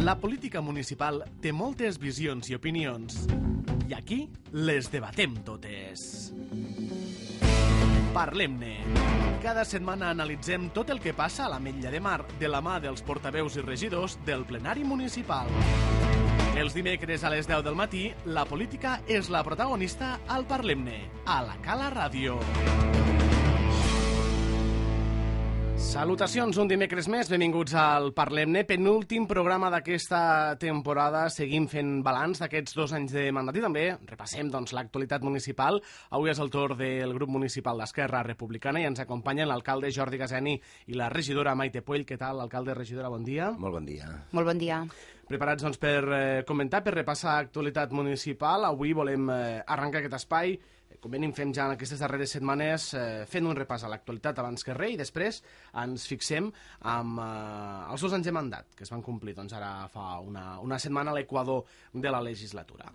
La política municipal té moltes visions i opinions. I aquí les debatem totes. Parlem-ne. Cada setmana analitzem tot el que passa a l'Ametlla de Mar de la mà dels portaveus i regidors del plenari municipal. Els dimecres a les 10 del matí, la política és la protagonista al Parlem-ne, a la Cala Ràdio. Salutacions, un dimecres més, benvinguts al Parlem-ne, penúltim programa d'aquesta temporada. Seguim fent balanç d'aquests 2 anys de mandat i també repassem l'actualitat municipal. Avui és el torn del grup municipal d'Esquerra Republicana i ens acompanyen l'alcalde Jordi Gaseni i la regidora Maite Puell. Què tal, alcalde, regidora, bon dia? Molt bon dia. Molt bon dia. Preparats per comentar, per repassar l'actualitat municipal. Avui volem arrencar aquest espai, com venim fent ja en aquestes darreres setmanes, fent un repàs a l'actualitat abans que res, i després ens fixem amb els 2 anys de mandat que es van complir ara fa una setmana a l'equador de la legislatura.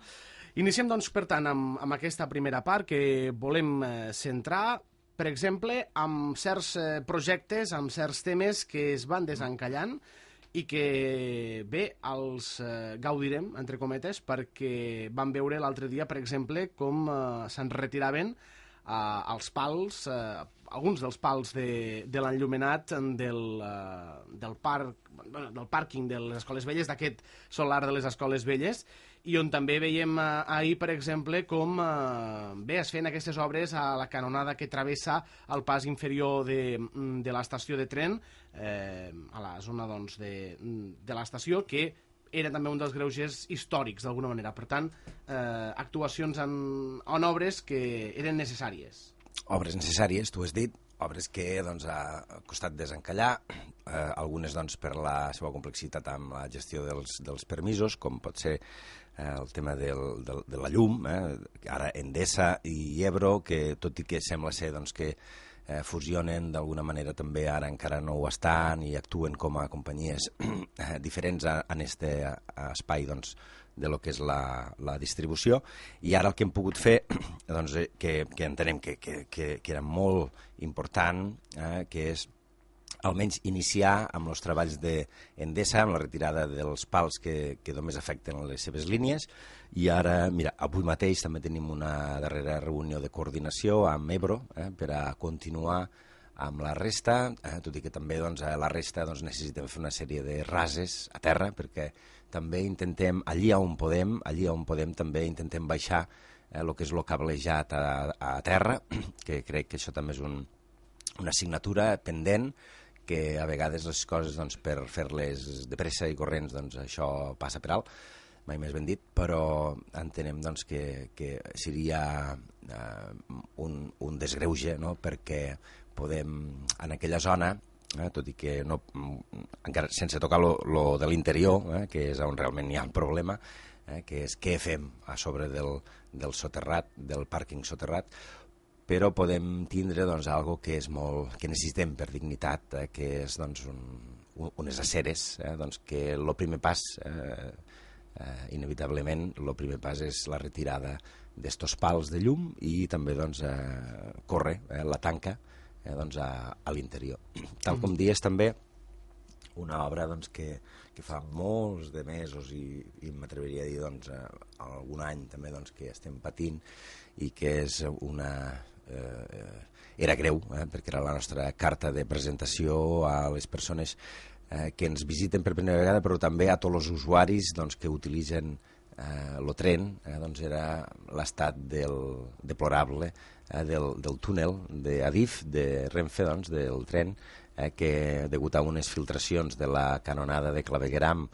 Iniciem, per tant, amb aquesta primera part que volem centrar, per exemple, amb certs projectes, amb certs temes que es van desencallant i que, bé, els gaudirem, entre cometes, perquè vam veure l'altre dia, per exemple, com se'n retiraven els pals, alguns dels pals de l'enllumenat del pàrquing de les Escoles Velles, d'aquest solar de les Escoles Velles, i on també veiem ahir, per exemple, com es feien aquestes obres a la canonada que travessa el pas inferior de l'estació de tren, a la zona de l'estació, que era també un dels greuges històrics, d'alguna manera. Per tant, actuacions en obres que eren necessàries. Obres necessàries, tu has dit, obres que ha costat desencallar, algunes per la seva complexitat amb la gestió dels permisos, com pot ser el tema de la llum, ara Endesa i Ebro, que tot i que sembla ser que fusionen d'alguna manera també ara encara no ho estan i actuen com a companyies diferents en aquest espai de lo que és la distribució. I ara el que hem pogut fer, que entenem que era molt important, que és almenys iniciar amb els treballs d'Endesa, amb la retirada dels pals que només afecten les seves línies, i ara, mira, avui mateix també tenim una darrera reunió de coordinació amb Ebro per a continuar amb la resta, tot i que també la resta necessitem fer una sèrie de rases a terra, perquè també intentem, allí on podem també intentem baixar el que és el cablejat a terra, que crec que això també és una assignatura pendent, que a vegades les coses per fer-les de pressa i corrents això passa per alt, mai més ben dit, però entenem que seria un desgreuge, no? Perquè podem en aquella zona, tot i que no, encara sense tocar lo de l'interior, que és on realment hi ha el problema, que és què fem a sobre del soterrat, del pàrquing soterrat, però podem tindre algo que és que necessitem per dignitat, que és unes aceres, que el primer pas, inevitablement, el primer pas és la retirada d'estos pals de llum i també córrer la tanca a l'interior. Tal com dies també, una obra que fa molts de mesos i m'atreviria a dir algun any també que estem patint i que és era greu, perquè era la nostra carta de presentació a les persones que ens visiten per primera vegada, però també a tots els usuaris que utilitzen el tren, era l'estat deplorable del túnel d'Adif, de Renfe, del tren, que degut a unes filtracions de la canonada de clavegueram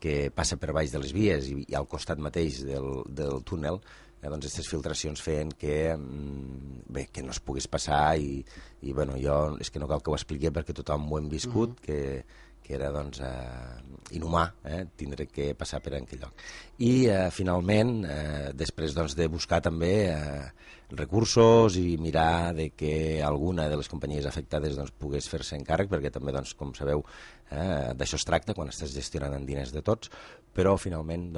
que passa per baix de les vies i al costat mateix del túnel, aquestes filtracions feien que no es pogués passar i jo és que no cal que ho expliqui perquè tothom ho hem viscut, que era inhumà tindre que passar per aquell lloc. I finalment, després de buscar també recursos i mirar que alguna de les companyies afectades pogués fer-se encàrrec, perquè també, com sabeu, d'això es tracta quan estàs gestionant en diners de tots, però finalment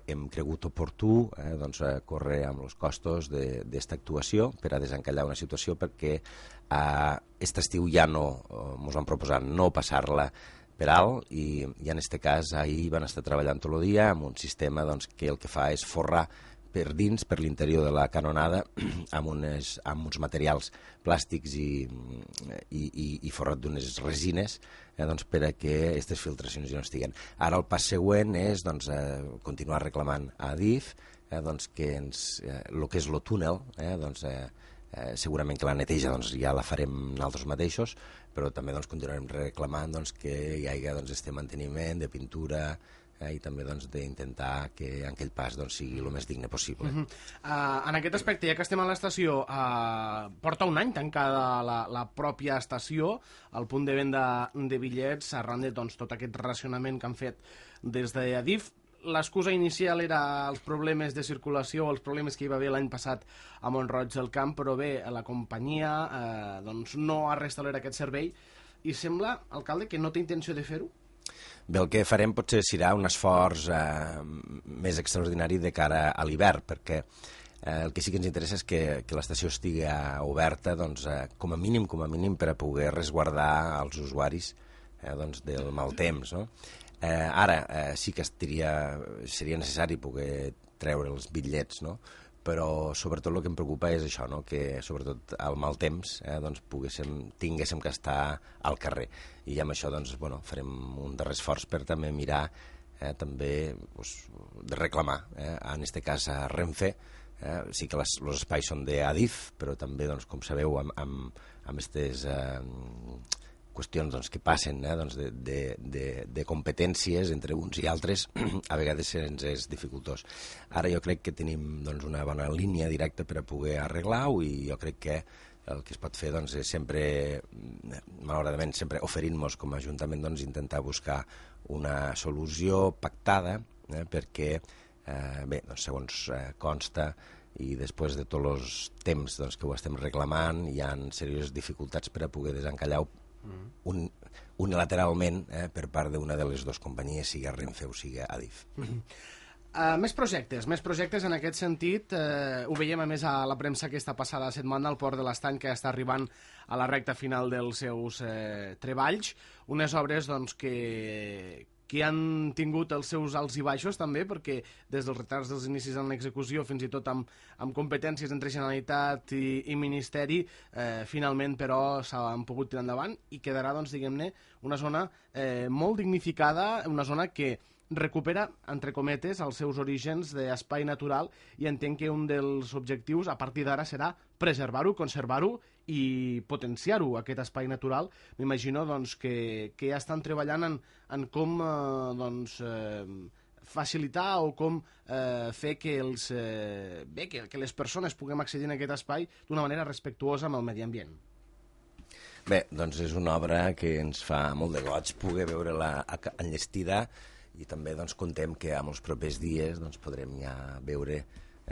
hem cregut oportú córrer amb els costos d'esta actuació per a desencallar una situació, perquè aquest estiu ja no ens van proposar no passar-la per alt, i en aquest cas ahir van estar treballant tot el dia amb un sistema doncs, que el que fa és forrar per dins, per l'interior de la canonada, amb uns materials plàstics i forrat d'unes resines, doncs, per a que aquestes filtracions ja no estiguen. Ara el pas següent és doncs, continuar reclamant a Adif doncs, que el que és el túnel, doncs, segurament que la neteja doncs, ja la farem nosaltres mateixos, però també doncs, continuarem reclamant doncs, que hi hagi doncs, este manteniment de pintura, i també doncs, d'intentar que aquell pas doncs, sigui el més digne possible. En aquest aspecte, ja que estem a l'estació, porta un any tancada la pròpia estació, el punt de venda de bitllets, arran de doncs, tot aquest racionament que han fet des d'Adif. L'excusa inicial era els problemes de circulació, els problemes que hi va haver l'any passat a Mont-roig del Camp, però bé, la companyia doncs, no ha restablert aquest servei i sembla, alcalde, que no té intenció de fer-ho? Bé, el que farem potser serà un esforç més extraordinari de cara a l'hivern, perquè el que sí que ens interessa és que l'estació estigui oberta doncs, com a mínim, per a poder resguardar els usuaris doncs, del mal temps. No? Ara sí que seria necessari poder treure els bitllets, no? Però sobretot el que em preocupa és això, no? Que sobretot al mal temps doncs, tinguéssim que estar al carrer. I amb això doncs, bueno, farem un darrer esforç per també mirar, també doncs, de reclamar, en aquest cas a Renfe. Sí que els espais són d'Adif, però també, doncs, com sabeu, amb aquestes qüestions doncs, que passen doncs, de competències entre uns i altres, a vegades ens és dificultós. Ara jo crec que tenim doncs, una bona línia directa per a poder arreglar-ho i jo crec que el que es pot fer doncs, és sempre, malauradament, sempre oferint-nos com a Ajuntament doncs, intentar buscar una solució pactada perquè, bé, doncs, segons consta i després de tots els temps doncs, que ho estem reclamant hi ha serioses dificultats per a poder desencallar unilateralment per part d'una de les dues companyies, sigui Renfe o sigui Adif. Més projectes en aquest sentit. Ho veiem a més a la premsa aquesta passada setmana al Port de l'Estany, que està arribant a la recta final dels seus treballs. Unes obres doncs, que han tingut els seus alts i baixos també, perquè des dels retards dels inicis en l'execució fins i tot amb competències entre Generalitat i Ministeri, finalment però s'han pogut tirar endavant i quedarà, doncs, diguem-ne, una zona molt dignificada, una zona que recupera, entre cometes, els seus orígens d'espai natural i entenc que un dels objectius a partir d'ara serà preservar-ho, conservar-ho i potenciar-ho, aquest espai natural. M'imagino doncs, que ja estan treballant en com facilitar o com fer que les persones puguem accedir a aquest espai d'una manera respectuosa amb el medi ambient. Bé, doncs és una obra que ens fa molt de goig poder veure-la enllestida i també doncs, contem que en els propers dies doncs, podrem ja veure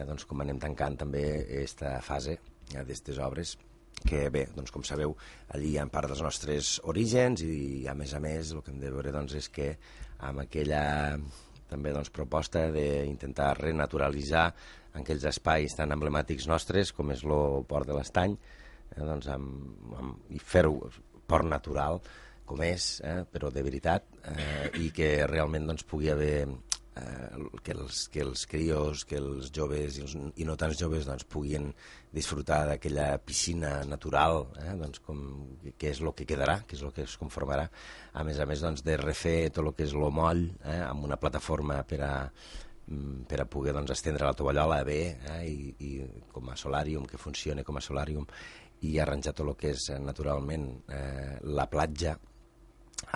doncs, com anem tancant també aquesta fase d'aquestes obres que bé, doncs, com sabeu, allí hi ha part dels nostres orígens i a més el que hem de veure doncs, és que amb aquella també doncs, proposta d'intentar renaturalitzar aquells espais tan emblemàtics nostres com és el Port de l'Estany doncs, i fer-ho port natural com és, però de veritat, i que realment doncs, pugui haver que els crios, que els joves i no tants joves doncs, puguin disfrutar d'aquella piscina natural, doncs, que és el que quedarà, que és el que es conformarà, a més doncs, de refer tot el que és el moll amb una plataforma per a poder doncs, estendre la tovallola bé i com a solàrium, que funcione com a solàrium, i arranjar tot el que és naturalment la platja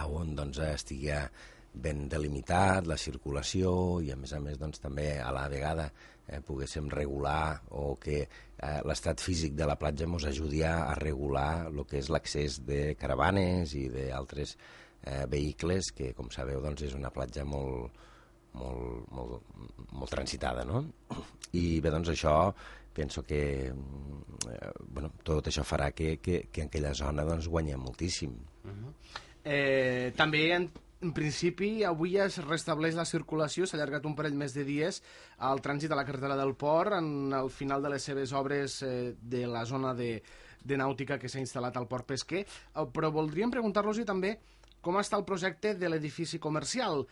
on doncs, estigui ben delimitat la circulació i a més doncs, també a la vegada poguéssim regular o que l'estat físic de la platja ens ajudi a regular el que és l'accés de caravanes i d'altres vehicles que, com sabeu, doncs, és una platja molt transitada, no? I bé, doncs això penso que tot això farà que en aquella zona doncs, guanyem moltíssim. També en principi avui es restableix la circulació, s'ha allargat un parell més de dies al trànsit a la carretera del Port en el final de les seves obres de la zona de nàutica que s'ha instal·lat al Port Pesquer, però voldríem preguntar-los també com està el projecte de l'edifici comercial?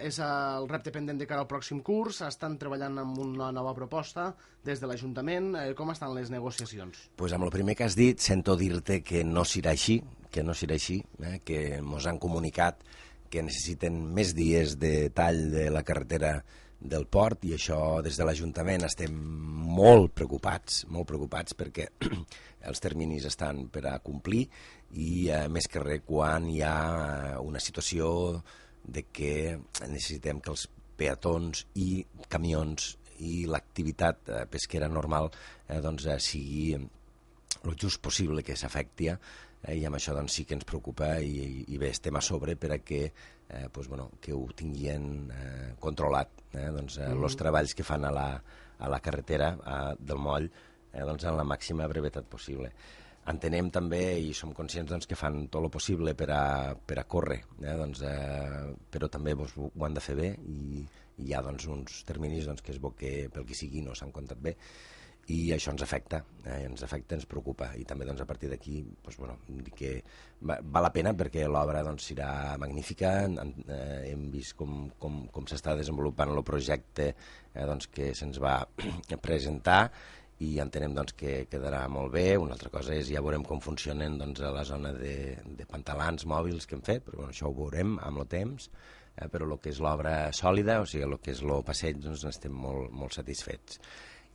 És el repte pendent de cara al pròxim curs? Estan treballant en una nova proposta des de l'Ajuntament? Com estan les negociacions? Pues amb el primer que has dit, sento dir-te que no serà així, que ens han comunicat que necessiten més dies de tall de la carretera del port, i això des de l'Ajuntament estem molt preocupats perquè els terminis estan per a complir, i més que res quan hi ha una situació de que necessitem que els peatons i camions i l'activitat pesquera normal sigui el just possible que s'afecti, i amb això sí que ens preocupa, i bé, estem a sobre per a que que ho tinguin controlat, els treballs que fan a la carretera del moll en la màxima brevetat possible. Entenem també i som conscients que fan tot el possible per a córrer, però també ho han de fer bé, i hi ha uns terminis que es veu que pel que sigui no s'han comptat bé, i això ens afecta, ens preocupa, i també a partir d'aquí que val la pena perquè l'obra serà magnífica. Hem vist com s'està desenvolupant el projecte que se'ns va presentar, i entenem que quedarà molt bé. Una altra cosa és, ja veurem com funcionen a la zona de pantalans mòbils que hem fet, però això ho veurem amb el temps, però el que és l'obra sòlida, o sigui, el que és el passeig, n'estem molt satisfets.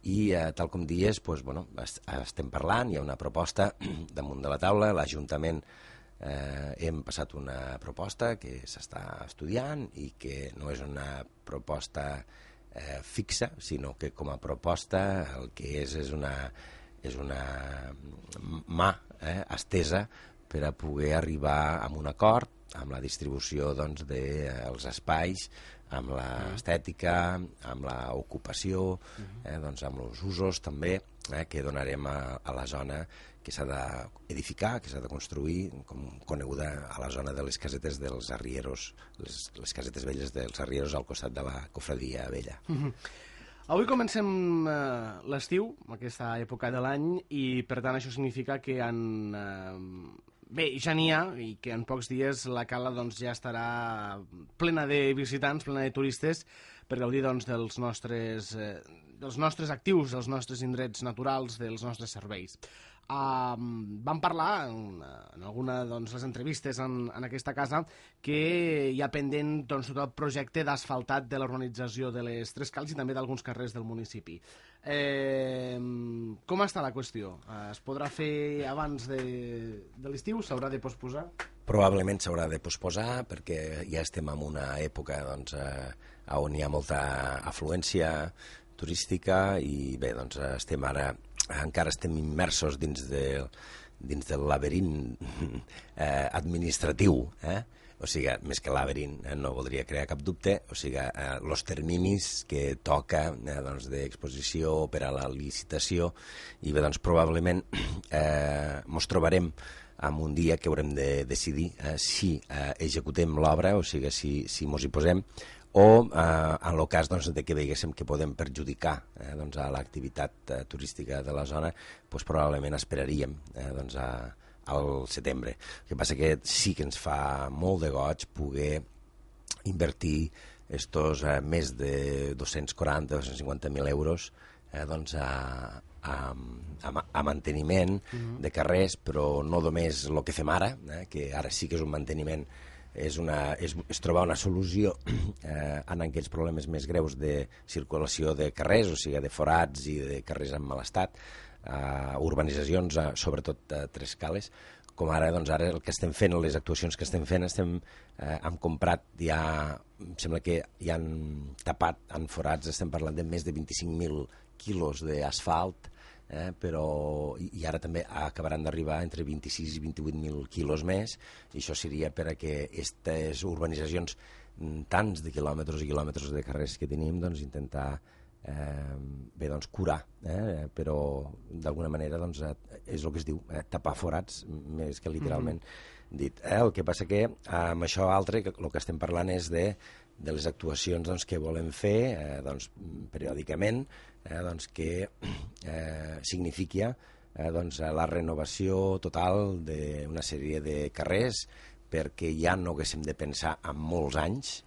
I tal com dies, estem parlant, hi ha una proposta damunt de la taula, l'Ajuntament hem passat una proposta que s'està estudiant i que no és una proposta fixa, sinó que com a proposta el que és una mà estesa per a poder arribar a un acord amb la distribució dels espais, amb l'estètica, amb l'ocupació, amb els usos també que donarem a la zona que s'ha d'edificar, que s'ha de construir, com coneguda a la zona de les casetes dels arrieros, les casetes velles dels arrieros al costat de la cofradia vella. Avui comencem l'estiu, aquesta època de l'any, i per tant això significa que ja n'hi ha, i que en pocs dies la cala ja estarà plena de visitants, plena de turistes, per gaudir dels nostres actius, dels nostres indrets naturals, dels nostres serveis. Vam parlar en alguna de les entrevistes en aquesta casa que hi ha pendent tot el projecte d'asfaltat de la urbanització de les Tres Cals i també d'alguns carrers del municipi. Com està la qüestió? Es podrà fer abans de l'estiu? S'haurà de posposar? Probablement s'haurà de posposar perquè ja estem en una època on hi ha molta afluència turística, i bé, encara estem immersos dins del laberint administratiu, o sigui, més que laberint, no voldria crear cap dubte, o sigui, els terminis que toca d'exposició per a la licitació, i bé, probablement ens trobarem en un dia que haurem de decidir si executem l'obra, o sigui, si ens hi posem, o en el cas de que veiéssim que podem perjudicar a l'activitat turística de la zona, probablement esperaríem al setembre. El que passa que sí que ens fa molt de goig poder invertir estos més de 240-250.000 euros a manteniment de carrers, però no només el que fem ara, que ara sí que és un manteniment, és trobar una solució en aquells problemes més greus de circulació de carrers, o sigui, de forats i de carrers en mal estat, urbanitzacions, sobretot Tres Cales, com ara, ara el que estem fent, les actuacions que estem fent, hem comprat em sembla que hi han tapat en forats, estem parlant de més de 25.000 quilos d'asfalt, però i ara també acabaran d'arribar entre 26 i 28.000 quilos més, i això seria per a que aquestes urbanitzacions, tants de quilòmetres i quilòmetres de carrers que tenim, intentar curar, però d'alguna manera és el que es diu tapar forats, més que literalment dit. El que passa que amb això altre el que estem parlant és de les actuacions que volem fer periòdicament, que signifiqui la renovació total d'una sèrie de carrers perquè ja no haguéssim de pensar en molts anys,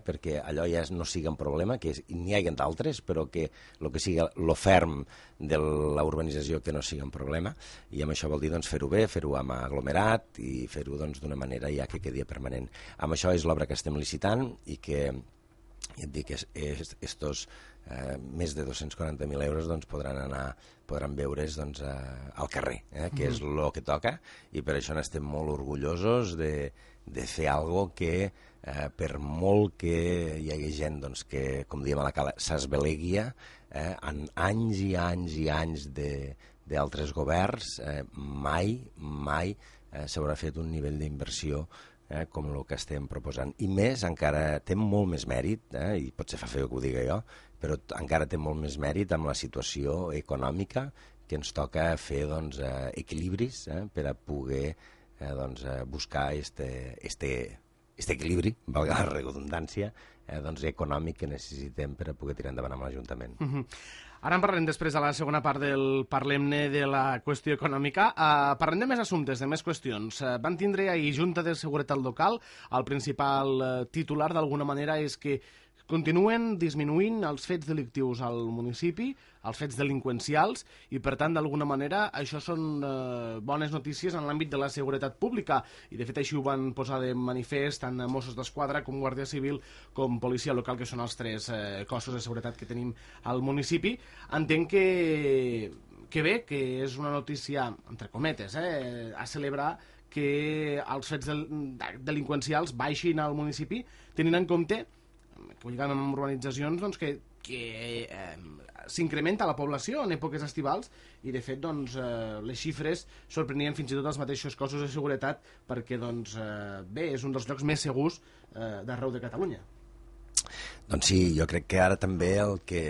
perquè allò ja no sigui un problema, que n'hi hagi d'altres, però que el que sigui lo ferm de la urbanització que no sigui un problema, i amb això vol dir doncs, fer-ho bé, fer-ho amb aglomerat i fer-ho doncs, d'una manera ja que quedi permanent. Amb això és l'obra que estem licitant i que, ja et dic, estos més de 240.000 euros doncs, podran veure's doncs, al carrer, que és el que toca, i per això n'estem molt orgullosos de fer alguna cosa que per molt que hi hagi gent doncs, que, com diem a la cala, s'esbeleguia, en anys i anys i anys d'altres governs, mai s'haurà fet un nivell d'inversió com el que estem proposant. I més, encara té molt més mèrit, i potser fa feo que ho diga jo, però encara té molt més mèrit amb la situació econòmica que ens toca fer doncs, equilibris per a poder doncs, buscar este equilibri, valga la redundància, doncs, econòmic que necessitem per a poder tirar endavant amb l'Ajuntament. Ara en parlem després de la segona part del Parlem-ne de la qüestió econòmica. Parlem de més assumptes, de més qüestions. Van tindre ahir Junta de Seguretat Local. El principal titular, d'alguna manera, és que continuen disminuint els fets delictius al municipi, els fets delinqüencials, i per tant, d'alguna manera, això són bones notícies en l'àmbit de la seguretat pública, i de fet així ho van posar de manifest tant Mossos d'Esquadra com Guàrdia Civil com Policia Local, que són els tres cossos de seguretat que tenim al municipi. Entenc que bé, que és una notícia, entre cometes, a celebrar que els fets delinqüencials baixin al municipi, tenint en compte que ho lligam amb urbanitzacions, doncs, que s'incrementa la població en èpoques estivals, i de fet doncs, les xifres sorprenien fins i tot els mateixos cossos de seguretat, perquè doncs, bé, és un dels llocs més segurs d'arreu de Catalunya. Doncs sí, jo crec que ara també el que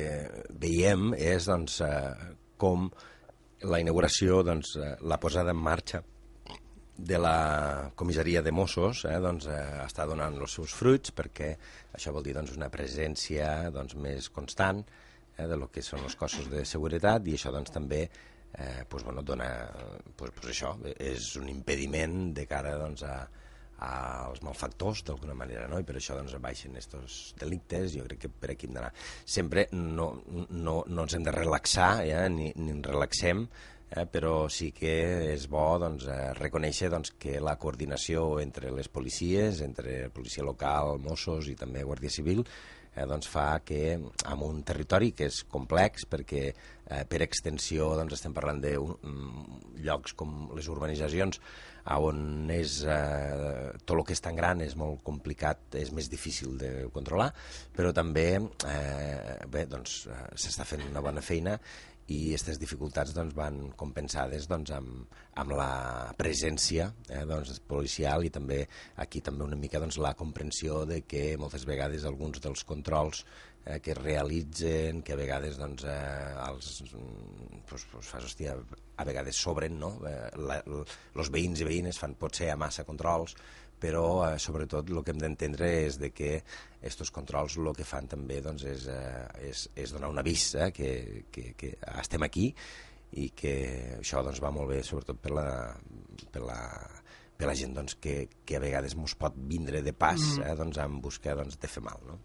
veiem és doncs, com la inauguració, doncs, la posada en marxa de la comissaria de Mossos doncs, està donant els seus fruits, perquè això vol dir doncs, una presència doncs, més constant de lo que són els cossos de seguretat, i això doncs, també dona, això és un impediment de cara doncs, als malfactors d'alguna manera, no? I per això doncs, baixen aquests delictes. Jo crec que per aquí hem d'anar. Sempre no ens hem de relaxar, ni ens relaxem, però sí que és bo doncs, reconèixer doncs, que la coordinació entre les policies, entre policia local, Mossos i també Guàrdia Civil, doncs fa que en un territori que és complex, perquè per extensió doncs, estem parlant de llocs com les urbanitzacions, on és, tot el que és tan gran és molt complicat, és més difícil de controlar, però també doncs, s'està fent una bona feina, i aquestes dificultats doncs, van compensades doncs, amb la presència doncs, policial, i també aquí també una mica doncs, la comprensió de que moltes vegades alguns dels controls que es realitzen, que a vegades doncs, hòstia, a vegades sobren, no? Els veïns i veïnes fan potser a massa controls, però sobretot el que hem d'entendre és de que aquests controls el que fan també doncs, és donar un avís que estem aquí, i que això doncs, va molt bé sobretot per la gent doncs, que a vegades ens pot vindre de pas doncs, en busca doncs, de fer mal, no?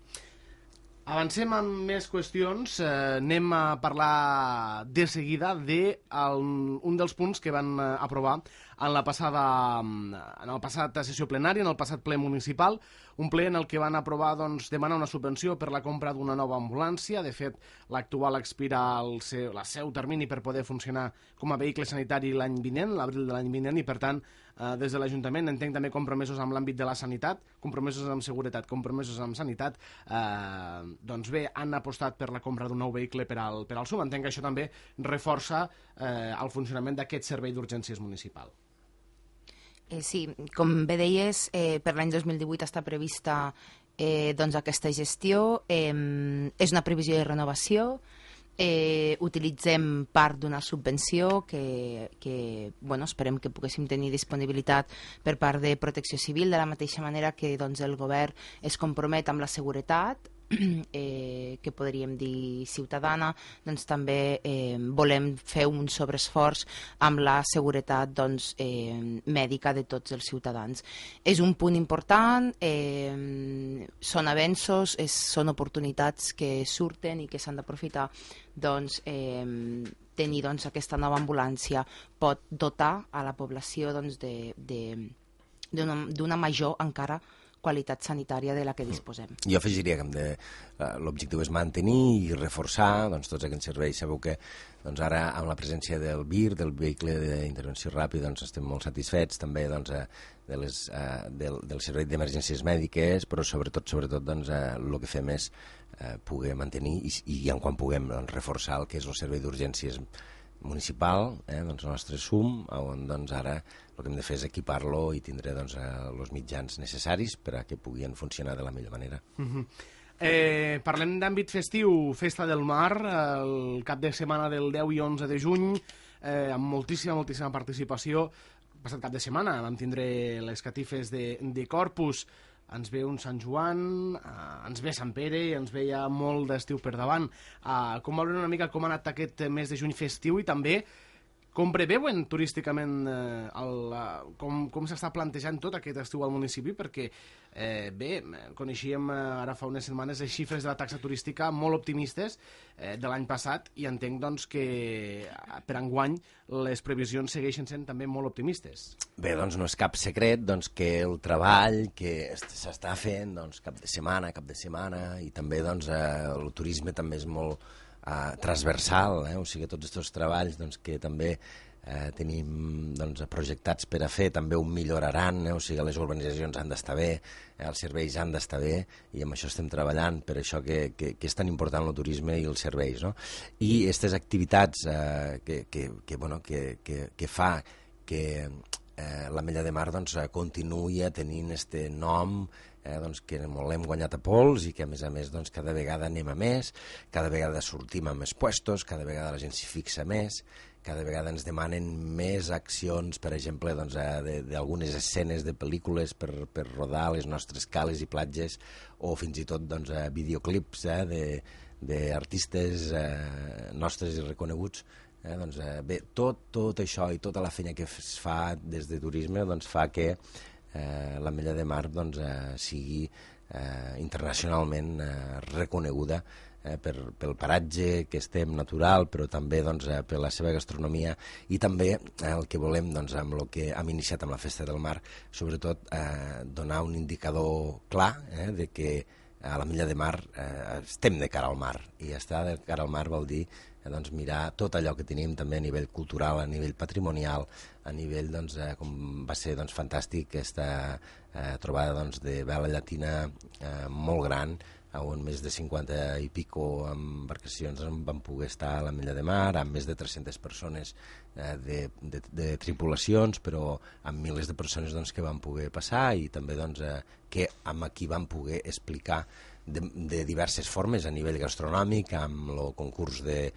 Avancem amb més qüestions. Anem a parlar de seguida d'un dels punts que van aprovar en la passat sessió plenària, en el passat ple municipal, un ple en el que van aprovar doncs, demanar una subvenció per la compra d'una nova ambulància. De fet, l'actual expira el seu termini per poder funcionar com a vehicle sanitari l'any vinent, l'abril de l'any vinent, i per tant, des de l'Ajuntament entenc també compromesos amb l'àmbit de la sanitat, compromesos amb seguretat, compromesos amb sanitat, doncs bé, han apostat per la compra d'un nou vehicle per al SUM. Entenc que això també reforça el funcionament d'aquest servei d'urgències municipal. Sí, com bé deies, per l'any 2018 està prevista doncs aquesta gestió, és una previsió de renovació, utilitzem part d'una subvenció que esperem que poguéssim tenir disponibilitat per part de Protecció Civil, de la mateixa manera que doncs, el govern es compromet amb la seguretat, que podríem dir ciutadana, doncs també volem fer un sobreesforç amb la seguretat mèdica de tots els ciutadans. És un punt important, són avenços, són oportunitats que surten i que s'han d'aprofitar. Tenir aquesta nova ambulància pot dotar a la població d'una major encara qualitat sanitària de la que disposem. Jo afegiria que l'objectiu és mantenir i reforçar tots aquests serveis. Sabeu que ara, amb la presència del VIR, del vehicle d'intervenció ràpida, estem molt satisfets també del servei d'emergències mèdiques, però sobretot el que fem és poder mantenir i en quan puguem reforçar el que és el servei d'urgències municipal, el nostre SUM, on ara el que hem de fer és equipar-lo i tindre els mitjans necessaris per a que puguin funcionar de la millor manera. Parlem d'àmbit festiu, Festa del Mar, el cap de setmana del 10 i 11 de juny, amb moltíssima participació. El passat cap de setmana vam tindre les catifes de Corpus, ens ve un Sant Joan, ens ve Sant Pere i ens ve ja molt d'estiu per davant. Com veurem una mica com ha anat aquest mes de juny festiu i també com preveuen turísticament com s'està plantejant tot aquest estiu al municipi, perquè coneixíem ara fa unes setmanes les xifres de la taxa turística molt optimistes de l'any passat i entenc que per enguany les previsions segueixen sent també molt optimistes. Bé, no és cap secret que el treball que s'està fent cap de setmana i també el turisme també és molt transversal, o sigui, tots aquests treballs que també tenim projectats per a fer, també ho milloraran, o sigui, les urbanitzacions han d'estar bé, els serveis han d'estar bé, i amb això estem treballant, per això que és tan important el turisme i els serveis, no? I aquestes activitats que fa que l'Ametlla de Mar continuï tenint aquest nom que l'hem guanyat a pols i que a més cada vegada anem a més, cada vegada sortim a més puestos, cada vegada la gent s'hi fixa més, cada vegada ens demanen més accions, per exemple, d'algunes escenes de pel·lícules per rodar les nostres cales i platges, o fins i tot videoclips d'artistes nostres i reconeguts. Bé, tot això i tota la feina que es fa des de turisme fa que l'Ametlla de Mar sigui internacionalment reconeguda pel paratge que estem natural, però també per la seva gastronomia i també el que volem amb el que hem iniciat amb la Festa del Mar, sobretot donar un indicador clar de que a l'Ametlla de Mar estem de cara al mar, i estar de cara al mar vol dir mirar tot allò que tenim també a nivell cultural, a nivell patrimonial, a nivell, com va ser fantàstic aquesta trobada de vela llatina molt gran, on més de 50 i pico embarcacions van poder estar a l'Ametlla de Mar, amb més de 300 persones de tripulacions, però amb milers de persones que van poder passar i també que amb qui van poder explicar de diverses formes a nivell gastronòmic, amb el concurs de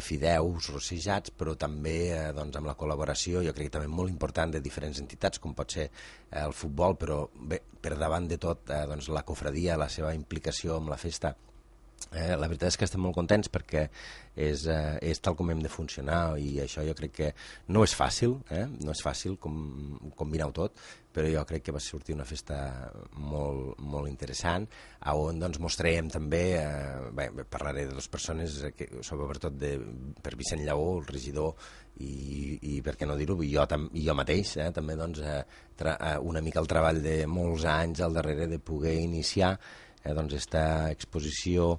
fideus rossejats, però també amb la col·laboració, jo crec que també molt important, de diferents entitats, com pot ser el futbol, però bé, per davant de tot la cofradia, la seva implicació amb la festa. La veritat és que estem molt contents perquè és tal com hem de funcionar, i això jo crec que no és fàcil, no és fàcil combinar-ho tot, però jo crec que va sortir una festa molt, molt interessant, on mostrarem també, parlaré de les persones, sobretot per Vicent Lleó, el regidor, i per què no dir-ho, i jo mateix, també una mica el treball de molts anys al darrere de poder iniciar esta exposició,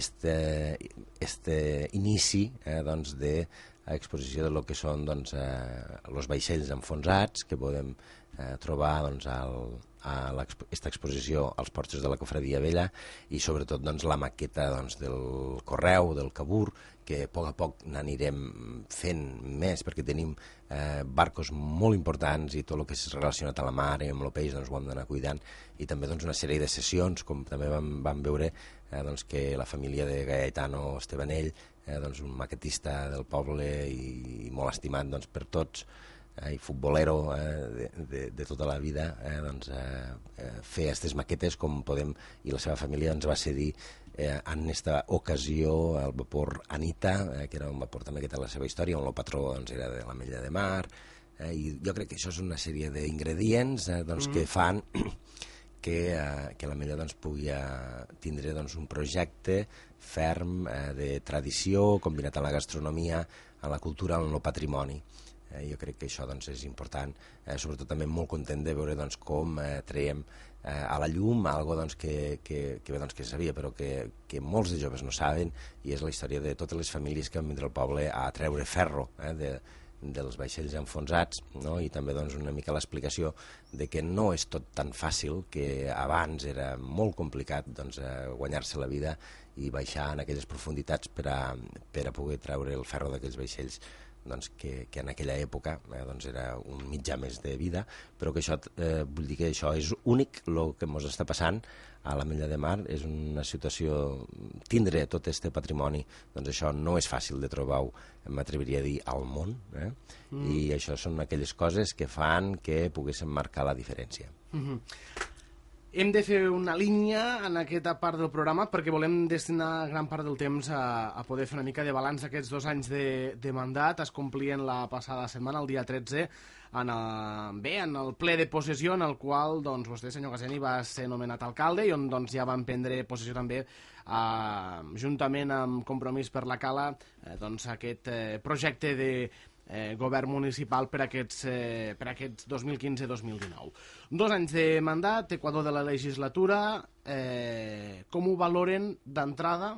este inici de exposició de lo que són els vaixells enfonsats que podem trobar a aquesta exposició als porxos de la Cofradia Vella, i sobretot la maqueta del Correu, del Cabur, que a poc n'anirem fent més, perquè tenim barcos molt importants i tot el que és relacionat a la mar i amb el peix ho hem d'anar cuidant, i també una sèrie de sessions, com també vam veure que la família de Gaetano Estebanell, un maquetista del poble i molt estimat per tots, i futbolero de tota la vida, doncs, fer aquestes maquetes com podem, i la seva família ens va cedir en aquesta ocasió el vapor Anita, que era un vapor també que té la seva història, on el patró doncs, era de l'Ametlla de Mar, i jo crec que això és una sèrie d'ingredients doncs, que fan que l'Ametlla doncs, pugui tindre doncs, un projecte ferm de tradició, combinat amb la gastronomia, amb la cultura, amb el patrimoni. Jo crec que això doncs, és important, sobretot també molt content de veure doncs, com traiem a la llum algo doncs, que sabia però que molts de joves no saben, i és la història de totes les famílies que van vindre al poble a treure ferro dels vaixells enfonsats, no? I també doncs, una mica l'explicació de que no és tot tan fàcil, que abans era molt complicat doncs, guanyar-se la vida i baixar en aquelles profunditats per a poder treure el ferro d'aquells vaixells, doncs, que en aquella època doncs era un mitjà més de vida, però que això, vull dir que això és únic, el que ens està passant a l'Ametlla de Mar és una situació, tindre tot aquest patrimoni, doncs això no és fàcil de trobar-ho, m'atreviria a dir, al món, i això són aquelles coses que fan que poguéssim marcar la diferència. Hem de fer una línia en aquesta part del programa perquè volem destinar gran part del temps a poder fer una mica de balanç d'aquests 2 anys de mandat. Es complien la passada setmana, el dia 13, en el ple de possessió en el qual doncs, vostè, senyor Caseni, va ser nomenat alcalde i on doncs, ja van prendre possessió també, juntament amb Compromís per la Cala, doncs, aquest projecte de govern municipal per aquests 2015-2019. 2 anys de mandat, equador de la legislatura, com ho valoren d'entrada?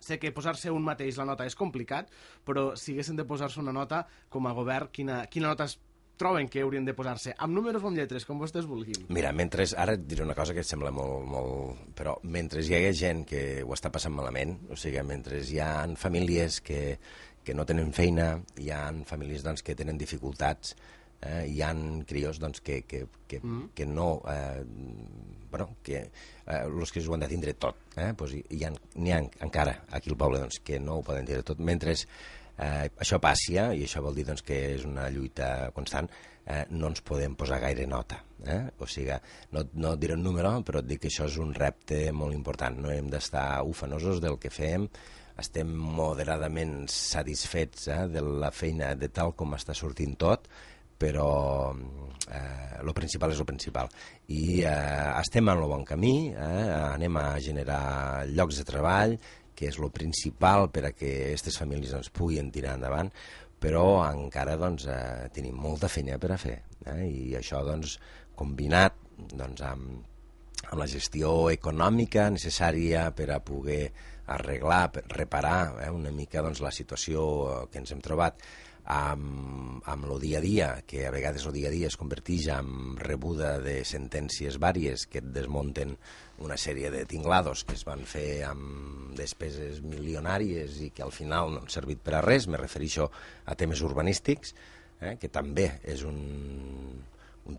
Sé que posar-se un mateix la nota és complicat, però si haguessin de posar-se una nota com a govern, quina nota troben que haurien de posar-se? Amb números o amb lletres, com vostès vulguin. Mira, ara et diré una cosa que et sembla molt... Però mentre hi ha gent que ho està passant malament, o sigui, mentre hi ha famílies que no tenen feina, hi ha famílies doncs, que tenen dificultats, hi ha crios doncs, que no... els que ho han de tindre tot. Doncs n'hi ha encara aquí al poble doncs, que no ho poden tindre tot. Mentre això passi, i això vol dir doncs, que és una lluita constant, no ens podem posar gaire nota. O sigui, no et diré un número, però et dic que això és un repte molt important. No hem d'estar ufanosos del que fem, estem moderadament satisfets de la feina de tal com està sortint tot, però el principal és el principal. I estem en el bon camí, anem a generar llocs de treball, que és el principal per a que aquestes famílies doncs, puguin tirar endavant, però encara doncs, tenim molta feina per a fer. I això doncs, combinat doncs, amb la gestió econòmica necessària per a poder arreglar, reparar una mica doncs, la situació que ens hem trobat amb el dia a dia, que a vegades el dia a dia es converteix en rebuda de sentències vàries que et desmunten una sèrie de tinglados que es van fer amb despeses milionàries i que al final no han servit per a res. Me refereixo a temes urbanístics, que també és un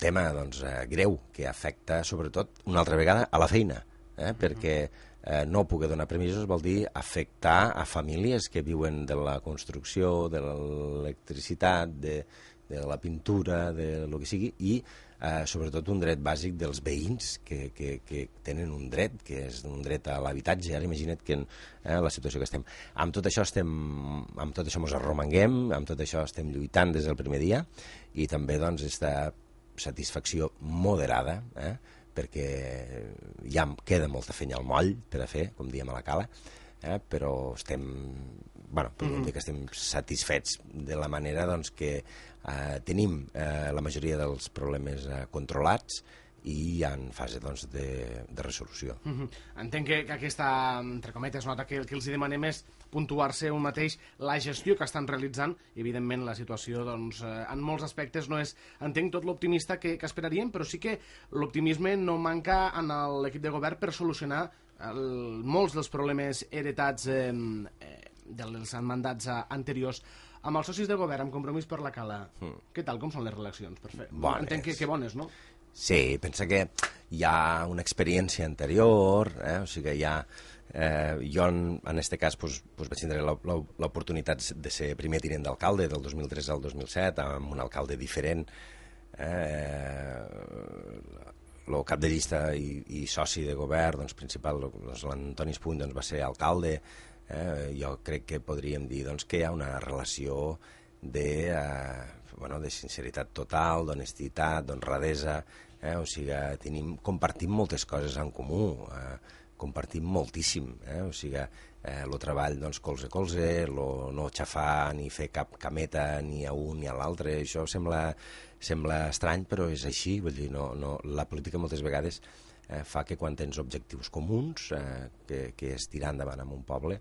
tema doncs, greu que afecta sobretot una altra vegada a la feina, perquè no poder donar permisos vol dir afectar a famílies que viuen de la construcció, de l'electricitat, de la pintura, de lo que sigui, i sobretot un dret bàsic dels veïns que tenen un dret, que és un dret a l'habitatge. Ara imagina't que la situació que estem. Amb tot això ens arromanguem, amb tot això estem lluitant des del primer dia, i també doncs esta satisfacció moderada, perquè ja queda molta feina al moll per a fer, com diem a la Cala, però estem, podríem dir que estem satisfets de la manera doncs, que tenim la majoria dels problemes controlats i en fase doncs, de resolució. Entenc que aquesta, entre cometes, nota que el que els demanem és puntuar-se un mateix la gestió que estan realitzant, i evidentment la situació doncs, en molts aspectes no és, entenc, tot l'optimista que esperaríem, però sí que l'optimisme no manca en l'equip de govern per solucionar molts dels problemes heretats dels mandats anteriors. Amb els socis de govern, amb Compromís per la Cala, què tal, com són les relacions? Entenc que bones, no? Sí, pensa que hi ha una experiència anterior, o sigui que hi ha... jo, en este cas, vaig tindre l'oportunitat de ser primer tinent d'alcalde del 2003 al 2007, amb un alcalde diferent. El cap de llista i soci de govern principal, l'Antoni Espuny, va ser alcalde. Jo crec que podríem dir que hi ha una relació de sinceritat total, d'honestitat, d'honradesa, o sigui, compartim moltes coses en comú, compartim moltíssim, o sigui, el treball colze a colze, no xafar ni fer cap cameta ni a un ni a l'altre, això sembla estrany, però és així, vull dir, la política moltes vegades fa que quan tens objectius comuns, que és tirar endavant en un poble,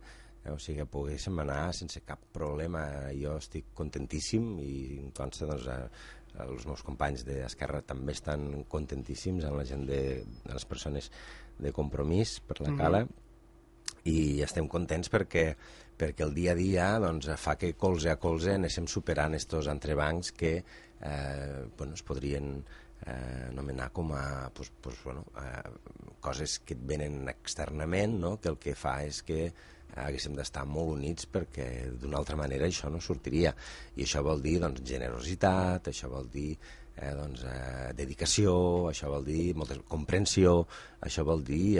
o sigui que poguéssim anar sense cap problema. Jo estic contentíssim i em consta, els meus companys d'Esquerra també estan contentíssims amb la gent de les persones de Compromís per la Cala, i estem contents perquè el dia a dia fa que colze a colze anéssim superant estos entrebancs que es podrien anomenar com a coses que et venen externament, que el que fa és que haguéssim d'estar molt units perquè d'una altra manera això no sortiria, i això vol dir generositat, això vol dir dedicació, això vol dir molta comprensió, això vol dir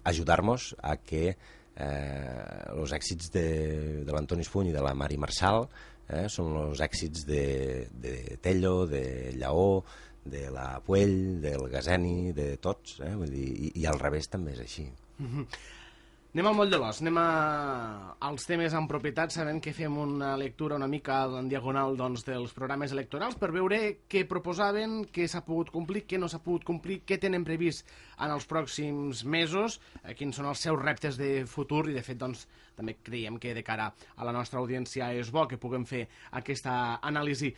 ajudar-nos a que els èxits de l'Antoni Espuny i de la Mari Marçal són els èxits de Tello, de Lleó, de la Puell, del Gazeni, de tots, vull dir, i al revés també és així. Anem al moll de l'os, anem als temes en propietat, sabent que fem una lectura una mica en diagonal dels programes electorals per veure què proposaven, què s'ha pogut complir, què no s'ha pogut complir, què tenen previst en els pròxims mesos, quins són els seus reptes de futur, i de fet també creiem que de cara a la nostra audiència és bo que puguem fer aquesta anàlisi.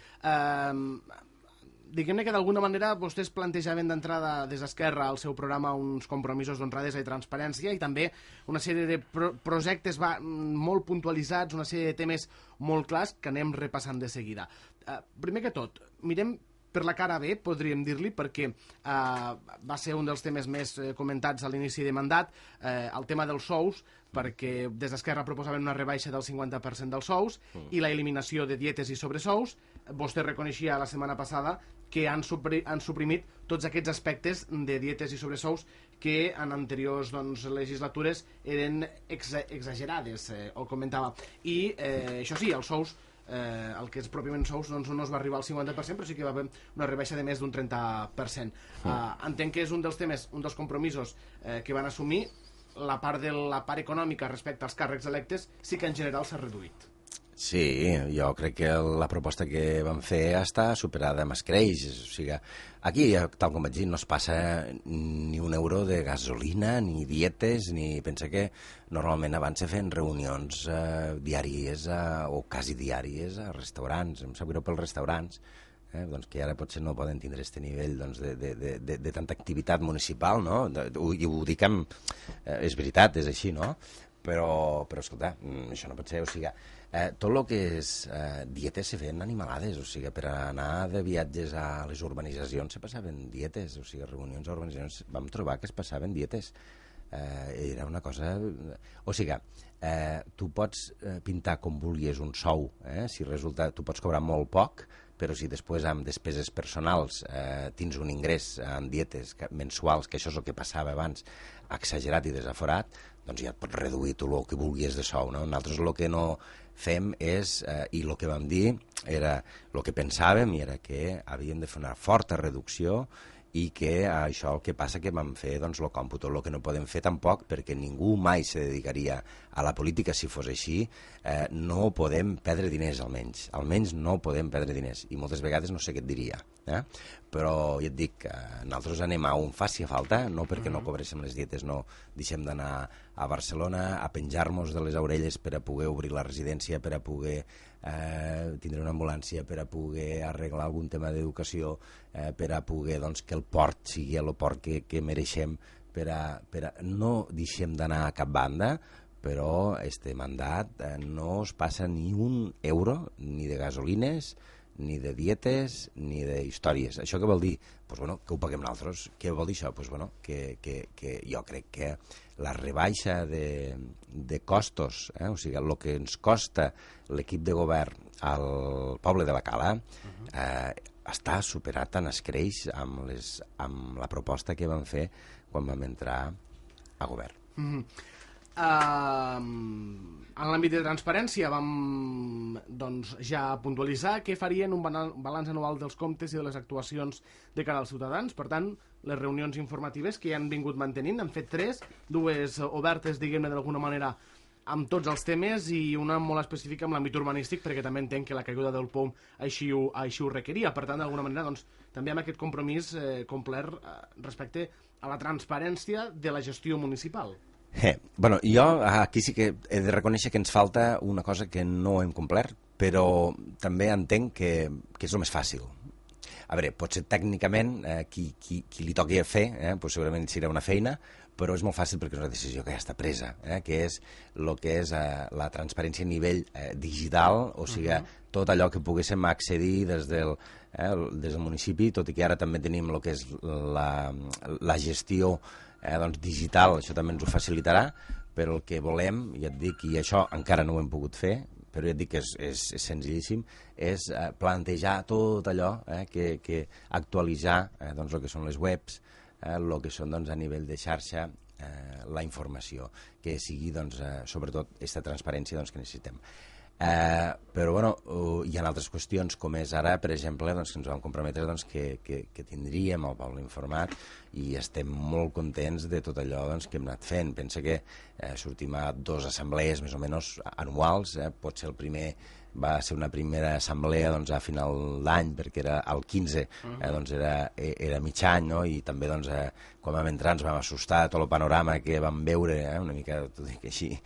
Diguem-ne que d'alguna manera vostès plantejaven d'entrada des d'Esquerra al seu programa uns compromisos d'honradesa i transparència, i també una sèrie de projectes molt puntualitzats, una sèrie de temes molt clars que anem repassant de seguida. Primer que tot, mirem per la cara B, podríem dir-li, perquè va ser un dels temes més comentats a l'inici de mandat, el tema dels sous, perquè des d'Esquerra proposaven una rebaixa del 50% dels sous i la eliminació de dietes i sobresous. Vostè reconeixia la setmana passada que han suprimit tots aquests aspectes de dietes i sobresous que en anteriors legislatures eren exagerades, ho comentava. I això sí, els sous, el que és pròpiament sous, no es va arribar al 50%, però sí que va haver una rebaixa de més d'un 30%. Entenc que és un dels temes, un dels compromisos que van assumir. La part econòmica respecte als càrrecs electes sí que en general s'ha reduït. Sí, jo crec que la proposta que vam fer està superada amb escreix. O sigui, aquí, tal com vaig dir, no es passa ni un euro de gasolina, ni dietes, ni... Pensa que normalment abans se feien reunions diàries o quasi diàries a restaurants. Em sap greu pels restaurants, que ara potser no poden tindre aquest nivell de tanta activitat municipal, no? I ho dic amb... És veritat, és així, no? Però escolta, això no pot ser, o sigui... tot el que és dietes se feien animalades, o sigui, per anar de viatges a les urbanitzacions se passaven dietes, o sigui, reunions a urbanitzacions, vam trobar que es passaven dietes. Era una cosa... O sigui, tu pots pintar com vulguis un sou, si resulta, tu pots cobrar molt poc, però si després amb despeses personals tens un ingrés en dietes mensuals, que això és el que passava abans, exagerat i desaforat, doncs ja et pots reduir tu el que vulguis de sou, no? Nosaltres el que no fem és, i el que vam dir era, el que pensàvem era que havíem de fer una forta reducció i que això el que passa que vam fer el còmput, el que no podem fer tampoc, perquè ningú mai se dedicaria a la política si fos així, no podem perdre diners almenys no podem perdre diners, i moltes vegades no sé què et diria, però ja et dic, nosaltres anem a on faci falta, no perquè no cobréssim les dietes, no deixem d'anar a Barcelona a penjar-nos de les orelles per a poder obrir la residència, per a poder tindre una ambulància, per a poder arreglar algun tema d'educació, per a poder que el port sigui el port que mereixem, no deixem d'anar a cap banda, però este mandat no es passa ni un euro ni de gasolines ni de dietes ni d'històries. Això què vol dir? Pues, bueno, que ho paguem nosaltres. Què vol dir això? Pues, bueno, que jo crec que la rebaixa de costos, o sigui, el que ens costa l'equip de govern al poble de la Cala, està superat en escreix amb la proposta que vam fer quan vam entrar a govern. En l'àmbit de transparència vam ja puntualitzar què farien un balanç anual dels comptes i de les actuacions de cara als ciutadans. Per tant, les reunions informatives que ja han vingut mantenint, han fet 3, 2 obertes, diguem-ne d'alguna manera, amb tots els temes i una molt específica amb l'àmbit urbanístic, perquè també entenc que la caiguda del POM així ho requeria. Per tant, d'alguna manera, també amb aquest compromís complert respecte a la transparència de la gestió municipal. Bueno, jo aquí sí que he de reconèixer que ens falta una cosa que no hem complert, però també entenc que és el més fàcil. A veure, potser tècnicament qui li toqui a fer, segurament serà una feina, però és molt fàcil perquè és una decisió que ja està presa, que és el que és la transparència a nivell digital, o sigui, tot allò que poguéssim accedir des del municipi, tot i que ara també tenim el que és la gestió digital, això també ens ho facilitarà, però el que volem, ja et dic, i això encara no ho hem pogut fer, però ja et dic que és senzillíssim, és plantejar tot allò, que actualitzar el que són les webs, el que són a nivell de xarxa, la informació, que sigui sobretot aquesta transparència que necessitem. Però bueno, hi ha altres qüestions com és ara, per exemple, que ens vam comprometre que tindríem el poble informat i estem molt contents de tot allò que hem anat fent. Pensa que sortim a 2 assemblees més o menys anuals, pot ser el primer va ser una primera assemblea a final d'any perquè era el 15, era mig any, no? I també quan vam entrar ens vam assustar tot el panorama que vam veure, una mica, t'ho dic així,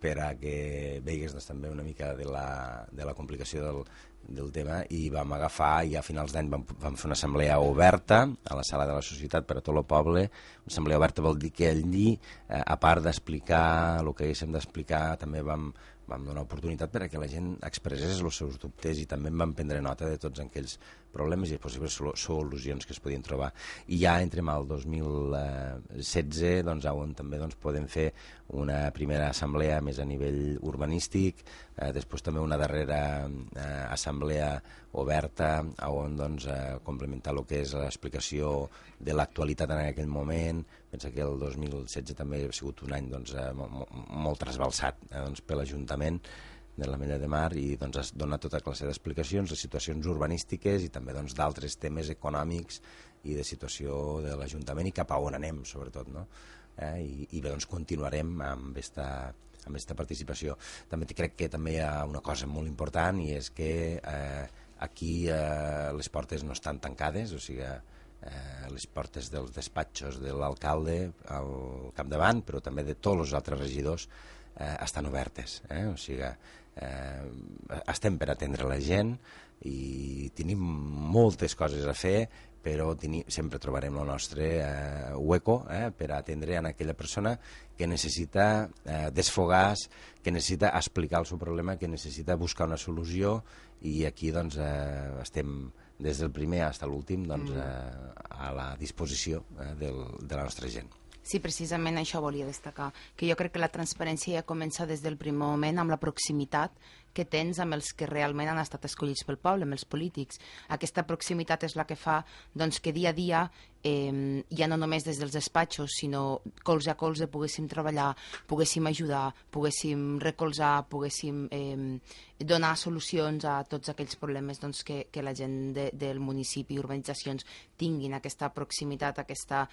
per a que veigues també una mica de la complicació del tema, i vam agafar i a finals d'any vam fer una assemblea oberta a la sala de la societat per a tot el poble. Una assemblea oberta vol dir que allí, a part d'explicar el que haguéssim d'explicar, també vam donar oportunitat per a que la gent expressés els seus dubtes i també en vam prendre nota de tots aquells problemes i possibles solucions que es podien trobar. I ja entrem al 2016, on també podem fer una primera assemblea més a nivell urbanístic, després també una darrera assemblea oberta on complementar el que és l'explicació de l'actualitat en aquell moment. Pensa que el 2016 també ha sigut un any molt trasbalsat per l'Ajuntament de l'Ametlla de Mar i has donat tota classe d'explicacions de situacions urbanístiques i també d'altres temes econòmics i de situació de l'Ajuntament i cap a on anem, sobretot, no? I bé, continuarem amb aquesta participació. També crec que també hi ha una cosa molt important i és que aquí les portes no estan tancades, o sigui, les portes dels despatxos de l'alcalde al capdavant, però també de tots els altres regidors estan obertes, o sigui, estem per atendre la gent i tenim moltes coses a fer, però sempre trobarem el nostre hueco per atendre a aquella persona que necessita desfogar-se, que necessita explicar el seu problema, que necessita buscar una solució, i aquí estem des del primer fins a l'últim a la disposició de la nostra gent. Sí, precisament això volia destacar, que jo crec que la transparència ja comença des del primer moment amb la proximitat que tens amb els que realment han estat escollits pel poble, amb els polítics. Aquesta proximitat és la que fa que dia a dia, ja no només des dels despatxos, sinó colze a colze poguéssim treballar, poguéssim ajudar, poguéssim recolzar, poguéssim donar solucions a tots aquells problemes que la gent del municipi i urbanitzacions tinguin aquesta proximitat, aquesta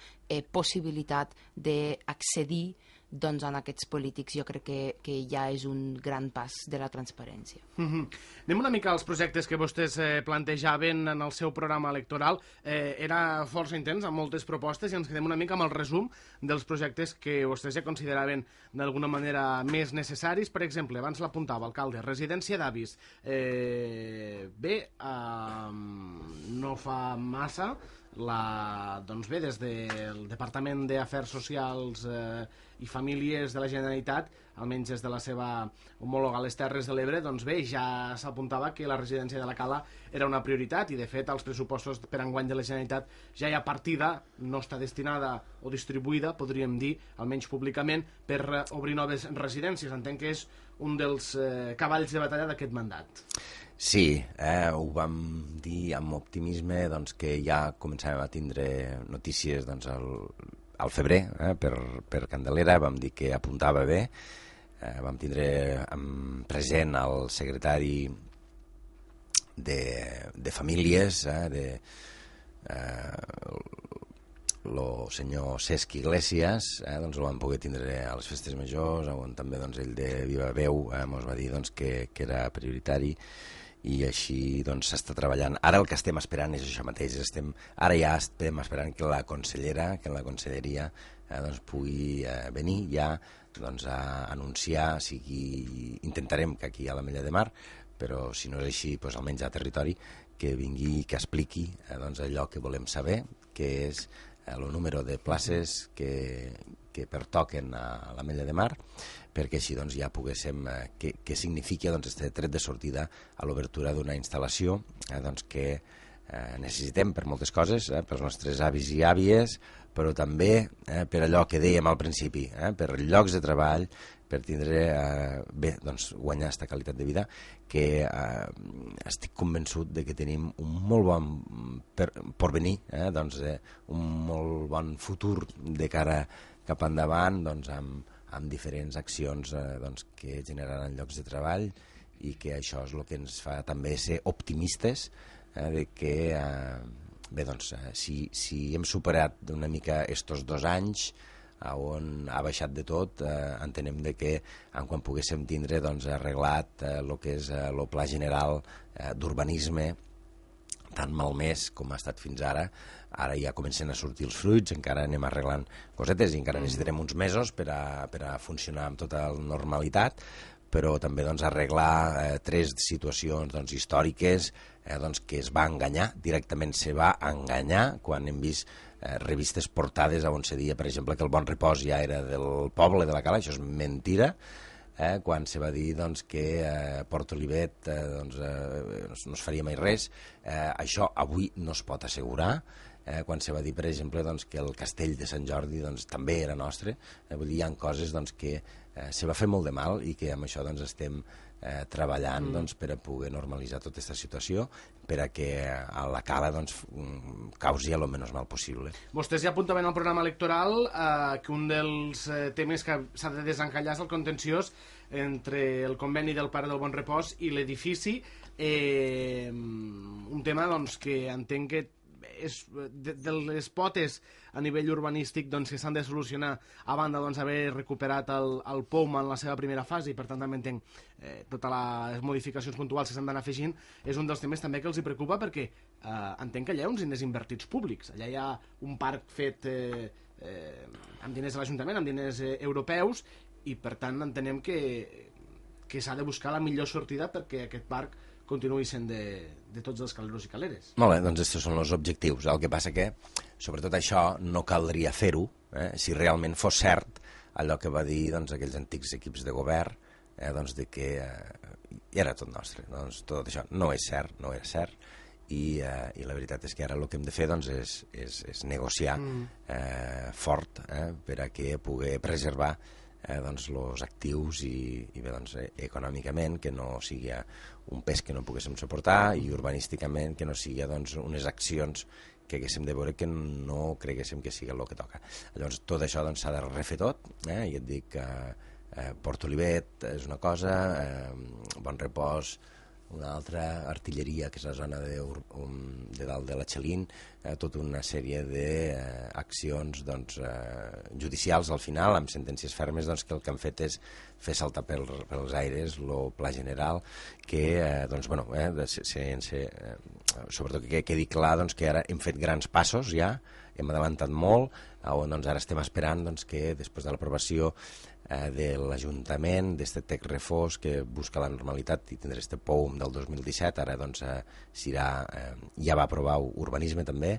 possibilitat d'accedir en aquests polítics. Jo crec que ja és un gran pas de la transparència. Anem una mica als projectes que vostès plantejaven en el seu programa electoral. Era força intens, amb moltes propostes, i ens quedem una mica amb el resum dels projectes que vostès ja consideraven d'alguna manera més necessaris. Per exemple, abans l'apuntava, alcalde, residència d'avis. Bé, no fa massa, des del Departament d'Afers Socials i Famílies de la Generalitat almenys des de la seva homòloga a les Terres de l'Ebre, doncs bé, ja s'apuntava que la residència de la Cala era una prioritat i de fet als pressupostos per enguany de la Generalitat ja hi ha partida, no està destinada o distribuïda, podríem dir, almenys públicament, per obrir noves residències. Entenc que és un dels cavalls de batalla d'aquest mandat. Sí, ho vam dir amb optimisme doncs, que ja començàvem a tindre notícies doncs, al febrer per Candelera, vam dir que apuntava bé, vam tindre present el secretari de Famílies, el senyor Cesc Iglesias, doncs el vam poder tindre a les festes majors, on també doncs, ell de viva veu ens va dir doncs, que era prioritari, i així doncs s'està treballant. Ara el que estem esperant és això mateix, ara ja estem esperant que la consellera, que la conselleria doncs pugui venir ja doncs, a anunciar, intentarem que aquí a l'Ametlla de Mar, però si no és així, doncs, almenys a territori, que vingui i que expliqui doncs, allò que volem saber, que és el número de places que pertoquen a l'Ametlla de Mar, perquè així doncs, ja poguéssim què significa aquest tret de sortida a l'obertura d'una instal·lació doncs, que necessitem per moltes coses, pels nostres avis i àvies, però també per allò que dèiem al principi, per llocs de treball, per tindre doncs, guanyar aquesta qualitat de vida, que estic convençut de que tenim un molt bon porvenir, doncs, un molt bon futur de cara cap endavant, doncs, amb diferents accions doncs, que generaran llocs de treball, i que això és el que ens fa també ser optimistes de que bé, doncs, si hem superat una mica estos 2 anys on ha baixat de tot, entenem de que quan poguéssim tindre doncs, arreglat el que és el pla general d'urbanisme tan malmès com ha estat fins ara ja comencen a sortir els fruits, encara anem arreglant cosetes i encara necessitarem uns mesos per a funcionar amb tota la normalitat, però també doncs, arreglar 3 situacions doncs, històriques doncs, que es va enganyar, directament se va enganyar quan hem vist revistes portades on se deia, per exemple, que el Bon Repòs ja era del poble de la Cala. Això és mentira, quan se va dir doncs, que Port Olivet doncs, no es faria mai res. Això avui no es pot assegurar. Quan se va dir, per exemple, doncs, que el castell de Sant Jordi doncs, també era nostre. Vull dir, hi ha coses doncs, que se va fer molt de mal i que amb això doncs, estem treballant doncs, per a poder normalitzar tota aquesta situació, per a que a la Cala doncs, causi el menys mal possible. Vostès ja apuntaven al programa electoral que un dels temes que s'ha de desencallar és el contenciós entre el conveni del Pare del Bon Repòs i l'edifici, un tema doncs, que entenc que és de les potes a nivell urbanístic doncs, que s'han de solucionar a banda doncs, haver recuperat el POUM en la seva primera fase, i per tant també entenc totes les modificacions puntuals que s'han d'anar afegint. És un dels temes també que els hi preocupa, perquè entenc que allà hi ha uns diners invertits públics, allà hi ha un parc fet amb diners de l'Ajuntament, amb diners europeus, i per tant entenem que s'ha de buscar la millor sortida perquè aquest parc continuï sent de tots els caleros i caleres. Molt bé, doncs aquests són els objectius. El que passa que, sobretot això, no caldria fer-ho si realment fos cert allò que va dir doncs, aquells antics equips de govern, doncs, de que era tot nostre. Doncs, tot això no és cert, no era cert, i la veritat és que ara el que hem de fer doncs, és negociar fort per a que pugui preservar doncs, els actius i bé, doncs, econòmicament que no sigui un pes que no poguéssim suportar, i urbanísticament que no sigui doncs, unes accions que haguéssim de veure que no creguéssim que sigui el que toca. Llavors tot això doncs, s'ha de refer tot, i et dic que Port Olivet és una cosa, Bon Repòs una altra, Artilleria, que és la zona de dalt de la Xalín, tota una sèrie d'accions doncs, judicials al final, amb sentències fermes, doncs, que el que han fet és fer saltar pels aires el pla general, que doncs, bueno, sobretot que quedi clar doncs, que ara hem fet grans passos ja, hem avançat molt, on doncs, ara estem esperant doncs, que després de l'aprovació de l'Ajuntament, d'aquest TEC Refós que busca la normalitat i tindrà aquest POUM del 2017, ara doncs ja va aprovar urbanisme també,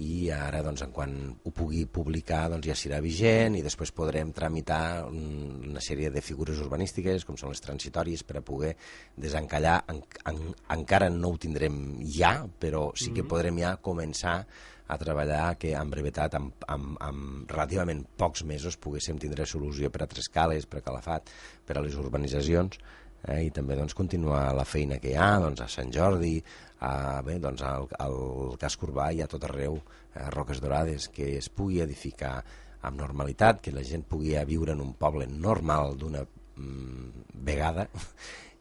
i ara doncs, en quan ho pugui publicar doncs, ja serà vigent i després podrem tramitar una sèrie de figures urbanístiques com són les transitòries per a poder desencallar. Encara no ho tindrem ja, però sí que podrem ja començar a treballar que en brevetat, amb relativament pocs mesos, poguéssim tindre solució per a Trescales, per a Calafat, per a les urbanitzacions, i també doncs, continuar la feina que hi ha doncs, a Sant Jordi, doncs, al casc urbà i a tot arreu, Roques Dorades, que es pugui edificar amb normalitat, que la gent pugui viure en un poble normal d'una vegada,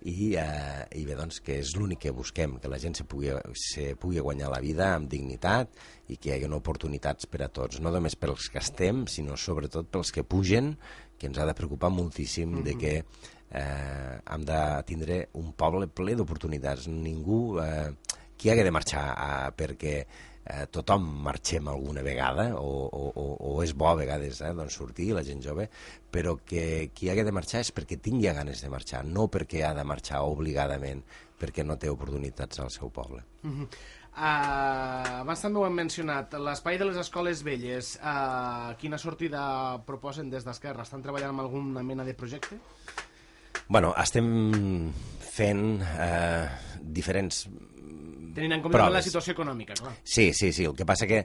i bé, doncs, que és l'únic que busquem, que la gent se pugui guanyar la vida amb dignitat i que hi hagi oportunitats per a tots, no només pels que estem, sinó sobretot pels que pugen, que ens ha de preocupar moltíssim de que hem de tindre un poble ple d'oportunitats. Ningú qui hagué de marxar perquè tothom marxem alguna vegada o és bo a vegades doncs sortir, la gent jove, però que qui hagué de marxar és perquè tingui ganes de marxar, no perquè ha de marxar obligadament perquè no té oportunitats al seu poble. Abans també ho hem mencionat, l'espai de les escoles velles, quina sortida proposen des d'Esquerra? Estan treballant amb alguna mena de projecte? Bueno, estem fent diferents tenint en compte la situació econòmica, clar. Sí, el que passa que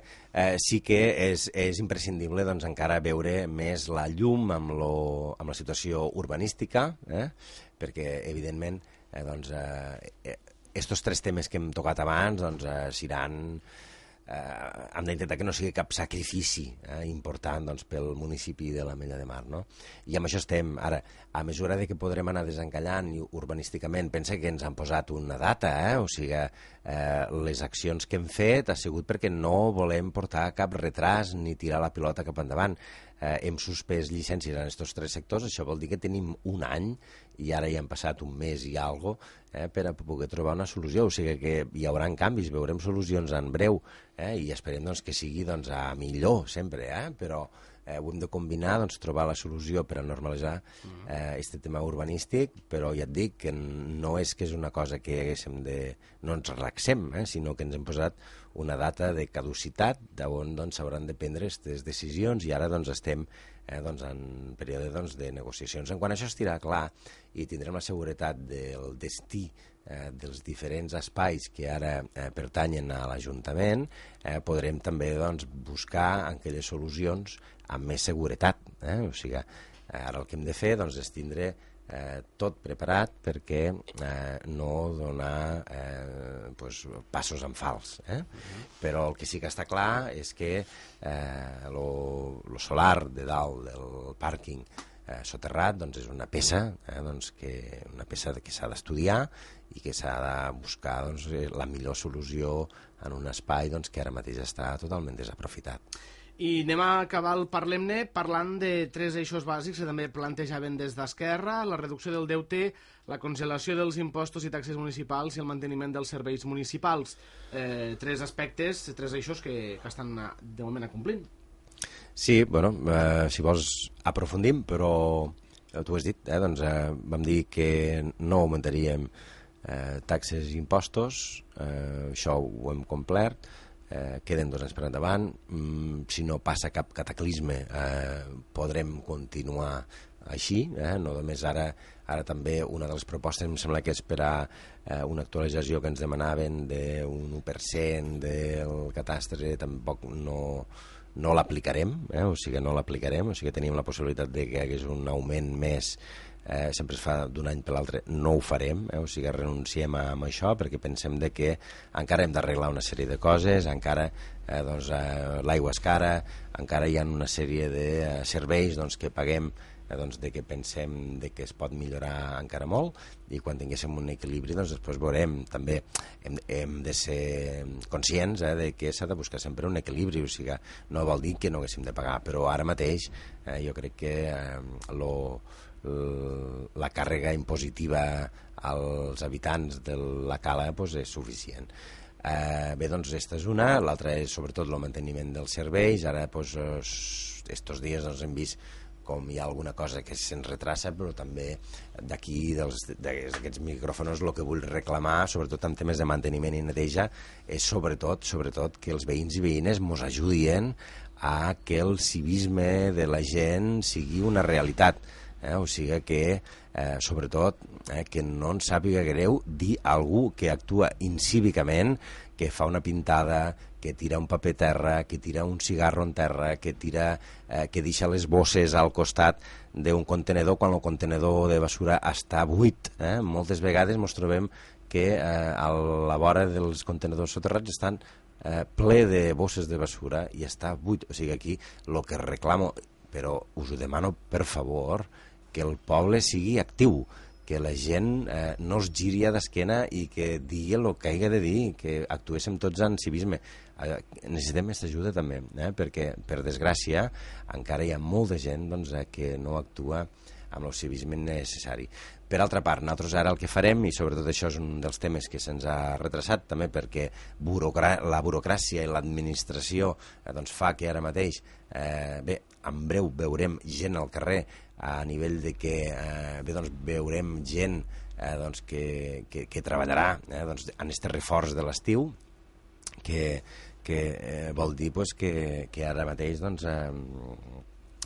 sí que és imprescindible doncs, encara veure més la llum amb la situació urbanística, perquè evidentment estos tres temes que hem tocat abans doncs, seran hem d'intentar que no sigui cap sacrifici important doncs, pel municipi de l'Ametlla de Mar, no? I amb això estem. Ara, a mesura de que podrem anar desencallant urbanísticament, pensa que ens han posat una data, o sigui, les accions que hem fet ha sigut perquè no volem portar cap retras ni tirar la pilota cap endavant. Hem suspès llicències en aquests tres sectors, això vol dir que tenim un any i ara ja han passat un mes i alguna cosa per a poder trobar una solució, o sigui que hi haurà canvis, veurem solucions en breu i esperem doncs, que sigui doncs, a millor sempre, però ho hem de combinar, doncs, trobar la solució per a normalitzar aquest tema urbanístic, però ja et dic que no és que és una cosa que no ens relaxem, sinó que ens hem posat una data de caducitat d'on doncs, s'hauran de prendre aquestes decisions i ara doncs, estem doncs, en període doncs, de negociacions. En quan això estirà clar i tindrem la seguretat del destí dels diferents espais que ara pertanyen a l'Ajuntament, podrem també doncs, buscar aquelles solucions amb més seguretat. O sigui, ara el que hem de fer doncs, és tindre tot preparat perquè no donar passos en fals. Però el que sí que està clar és que lo solar de dalt del pàrquing soterrat doncs és una peça que s'ha d'estudiar i que s'ha de buscar doncs, la millor solució en un espai doncs, que ara mateix està totalment desaprofitat. I anem a acabar el Parlem-ne parlant de tres eixos bàsics que també plantejaven des d'Esquerra: la reducció del deute, la congelació dels impostos i taxes municipals i el manteniment dels serveis municipals. Tres aspectes, tres eixos que estan de moment acomplint. Sí, bueno, si vols aprofundim, però tu has dit, doncs, vam dir que no augmentaríem taxes i impostos, això ho hem complert, queden 2 anys per endavant, si no passa cap cataclisme podrem continuar així, no només ara també una de les propostes em sembla que és per a una actualització que ens demanaven d'un 1% del catastre, tampoc no l'aplicarem, o sigui, no l'aplicarem, o sigui, tenim la possibilitat de que hi hagués un augment més, sempre es fa d'un any per l'altre, no ho farem, o sigui, renunciem a això perquè pensem de que encara hem d'arreglar una sèrie de coses, encara doncs, l'aigua és cara, encara hi ha una sèrie de serveis doncs, que paguem doncs, de que pensem de que es pot millorar encara molt, i quan tinguéssim un equilibri doncs després veurem. També hem de ser conscients de que s'ha de buscar sempre un equilibri, o sigui, no vol dir que no haguéssim de pagar, però ara mateix jo crec que la càrrega impositiva als habitants de la cala doncs, és suficient. Bé, doncs aquesta és una, l'altra és sobretot el manteniment dels serveis. Ara, estos dies hem vist com hi ha alguna cosa que se'ns retrassa, però també d'aquí, d'aquests micròfons, el que vull reclamar, sobretot en temes de manteniment i neteja, és sobretot que els veïns i veïnes mos ajudin a que el civisme de la gent sigui una realitat. O sigui que, sobretot, que no ens sàpiga greu dir a algú que actua incívicament, que fa una pintada, que tira un paper a terra, que tira un cigarro en terra, que deixa les bosses al costat d'un contenedor quan el contenedor de basura està buit. Moltes vegades ens trobem que a la vora dels contenedors soterrats estan ple de bosses de basura i està buit. O sigui, aquí el que reclamo, però us ho demano per favor, que el poble sigui actiu, que la gent no es giri a d'esquena i que digui el que hagi de dir, que actuéssim tots en civisme. Necessitem aquesta ajuda també, perquè, per desgràcia, encara hi ha molta gent que no actua amb el civisme necessari. Per altra part, nosaltres ara el que farem, i sobretot això és un dels temes que se'ns ha retrasat també perquè la burocràcia i l'administració fa que ara mateix, en breu veurem gent al carrer a nivell de que veurem gent que treballarà en aquest reforç de l'estiu, que vol dir que ara mateix,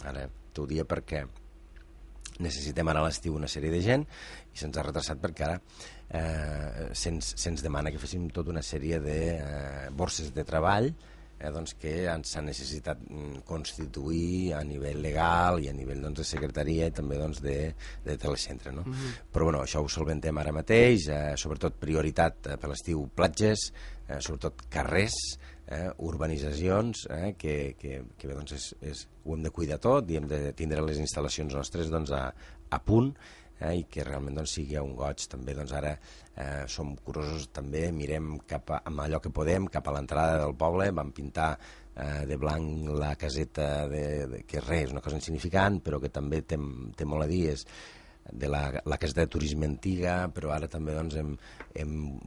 ara t'ho dia perquè necessitem ara a l'estiu una sèrie de gent i se'ns ha retrasat perquè ara se'ns demana que féssim tota una sèrie de borses de treball que s'ha necessitat constituir a nivell legal i a nivell de secretaria i també de telecentre. No? Però bueno, això ho solventem ara mateix, sobretot prioritat per l'estiu platges, sobretot carrers, urbanitzacions, que ho hem de cuidar tot i hem de tindre les instal·lacions nostres a punt, i que realment sigui un goig. També ara som curosos, també mirem amb allò que podem cap a l'entrada del poble. Vam pintar de blanc la caseta, que res, és una cosa insignificant, però que també té molt a dir, és de la caseta de turisme antiga, però ara també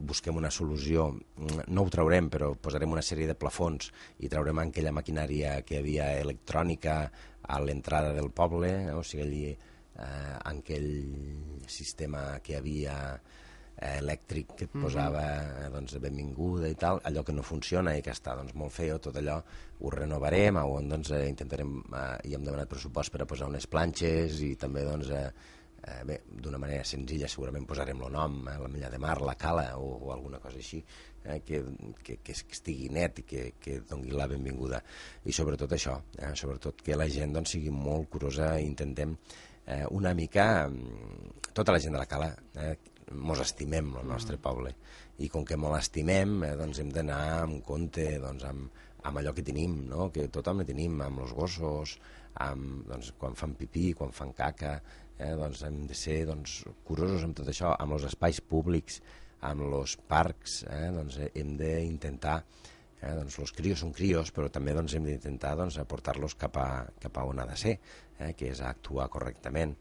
busquem una solució. No ho traurem, però posarem una sèrie de plafons i traurem aquella maquinària que hi havia electrònica a l'entrada del poble, o sigui, allí aquell sistema que hi havia elèctric que et posava benvinguda i tal, allò que no funciona i que està molt feo, tot allò ho renovarem, on intentarem, i hem demanat pressupost per a posar unes planxes i també d'una manera senzilla segurament posarem el nom, la Mella de Mar, la Cala o alguna cosa així, que estigui net i que doni la benvinguda. I sobretot això, sobretot que la gent sigui molt curosa i intentem una mica, tota la gent de la Cala mos estimem el nostre poble i com que mos l'estimem hem d'anar amb compte amb allò que tenim, que tothom ho tenim, amb els gossos, quan fan pipí, quan fan caca, hem de ser curosos amb tot això, amb els espais públics, amb els parcs, hem d'intentar, els crios són crios, però també hem d'intentar aportar-los cap a on ha de ser, que és actuar correctament.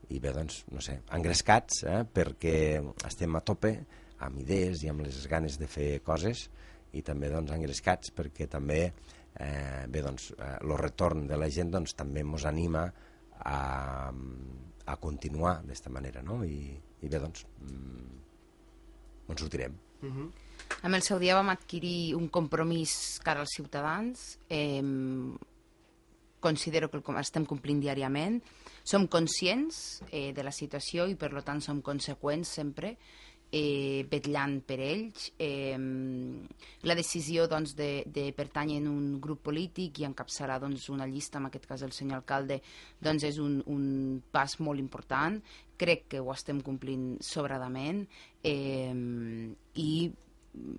I bé, no sé, engrescats, perquè estem a tope amb idees i amb les ganes de fer coses, i també engrescats perquè també el retorn de la gent també ens anima a continuar d'esta manera, no? I bé, ens sortirem. En el seu dia vam adquirir un compromís cara als ciutadans. Considero que el estem complint diàriament. Som conscients de la situació i per tant som conseqüents sempre, vetllant per ells. La decisió de pertànyer a un grup polític i encapçalar una llista, en aquest cas el senyor alcalde, és un pas molt important. Crec que ho estem complint sobradament i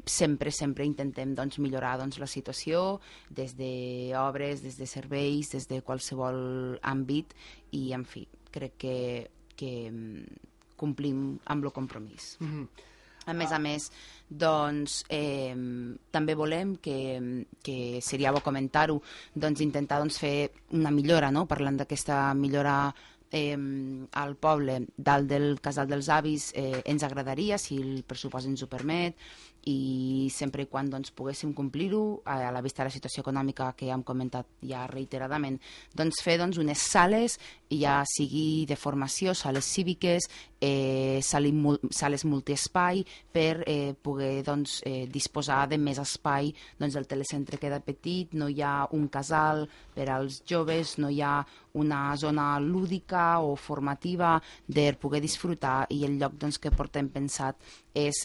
sempre intentem millorar la situació des d'obres, des de serveis, des de qualsevol àmbit i, en fi, crec que complim amb el compromís. A més, també volem, que seria bo comentar-ho, intentar fer una millora, parlant d'aquesta millora al poble dalt del Casal dels Avis ens agradaria, si el pressupost ens ho permet, i sempre i quan doncs, poguéssim complir-ho, a la vista de la situació econòmica que ja hem comentat ja reiteradament, doncs fer doncs, unes sales, ja sigui de formació, sales cíviques, sales multiespai, per poder doncs, disposar de més espai. Doncs el telecentre queda petit, no hi ha un casal per als joves, no hi ha una zona lúdica o formativa de poder disfrutar, i el lloc doncs, que portem pensat és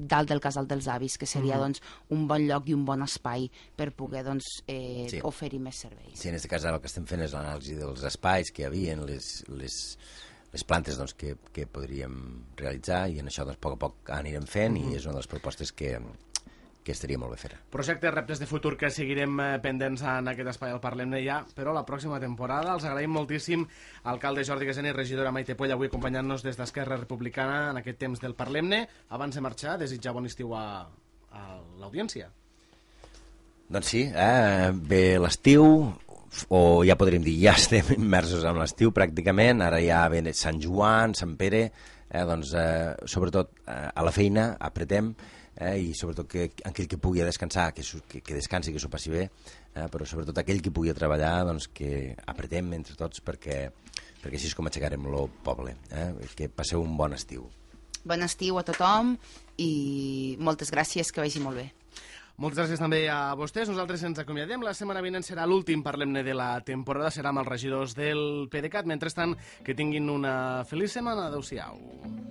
dalt del Casal dels Avis, que seria doncs, un bon lloc i un bon espai per poder doncs, Sí. oferir més serveis. Sí, en aquest cas el que estem fent és l'anàlisi dels espais que hi havia, les plantes doncs, que podríem realitzar, i en això doncs, a poc a poc anirem fent, i és una de les propostes que estaria molt bé fer. Projectes, reptes de futur que seguirem pendents en aquest espai al Parlem-ne ja, però la pròxima temporada. Els agraïm moltíssim alcalde Jordi Gaseni i regidora Maite Puell avui acompanyant-nos des d'Esquerra Republicana en aquest temps del Parlem-ne. Abans de marxar, desitjar bon estiu a l'audiència. Doncs sí, ve l'estiu, o ja podríem dir, ja estem immersos en l'estiu pràcticament, ara ja ve Sant Joan, Sant Pere, doncs sobretot a la feina apretem, i sobretot que aquell que pugui descansar, que descansi, que s'ho passi bé, però sobretot aquell que pugui treballar, doncs que apretem entre tots perquè així és com aixecarem el poble. Que passeu un bon estiu. Bon estiu a tothom i moltes gràcies, que vagi molt bé. Moltes gràcies també a vostès. Nosaltres ens acomiadem. La setmana vinent serà l'últim Parlem-ne de la temporada. Serà amb els regidors del PDeCAT. Mentrestant, que tinguin una feliç setmana. Adéu-siau.